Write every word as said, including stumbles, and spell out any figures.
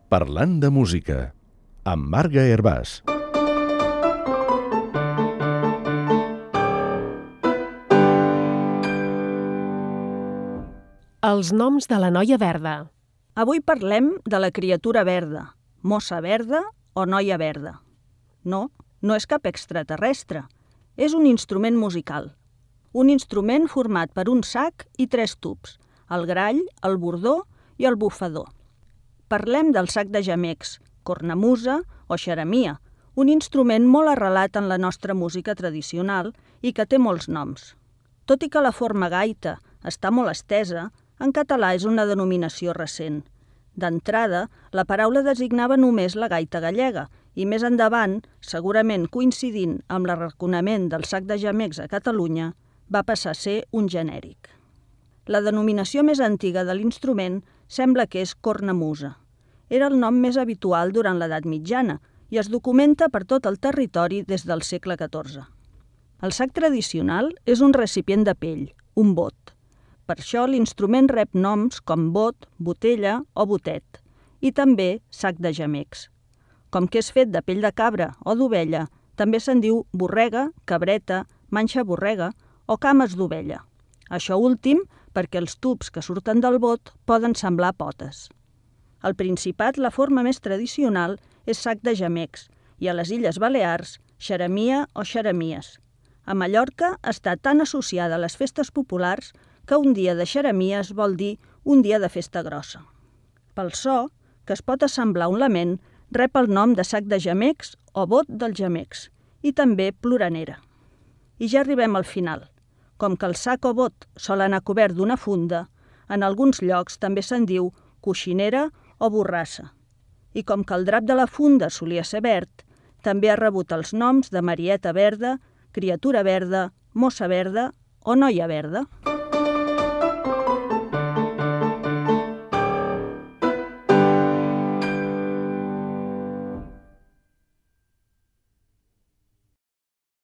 Parlant de música, amb Marga Hervàs. Els noms de la noia verda. Avui parlem de la criatura verda, mossa verda o noia verda. No, no és cap extraterrestre. És un instrument musical. Un instrument format per un sac i tres tubs, el grall, el bordó i el bufador. Parlem del sac de gemecs, cornamusa o xeremia, un instrument molt arrelat en la nostra música tradicional i que té molts noms. Tot i que la forma gaita està molt estesa, en català és una denominació recent. D'entrada, la paraula designava només la gaita gallega i més endavant, segurament coincidint amb l'arraconament del sac de gemecs a Catalunya, va passar a ser un genèric. La denominació més antiga de l'instrument sembla que és cornamusa. Era el nom més habitual durant l'edat mitjana i es documenta per tot el territori des del segle catorze. El sac tradicional és un recipient de pell, un bot. Per això l'instrument rep noms com bot, botella o botet, i també sac de gemecs. Com que és fet de pell de cabra o d'ovella, també se'n diu borrega, cabreta, manxa borrega o cames d'ovella. Això últim perquè els tubs que surten del bot poden semblar potes. Al Principat la forma més tradicional és sac de gemecs i a les Illes Balears xeremia o xeremies. A Mallorca està tan associada a les festes populars que un dia de xeremies vol dir un dia de festa grossa. Pel so, que es pot assemblar un lament, rep el nom de sac de gemecs o bot dels gemecs i també ploranera. I ja arribem al final. Com que el sac o bot sol anar cobert d'una funda, en alguns llocs també se'n diu coixinera o borrassa. I com que el drap de la funda solia ser verd, també ha rebut els noms de marieta verda, criatura verda, mossa verda o noia verda.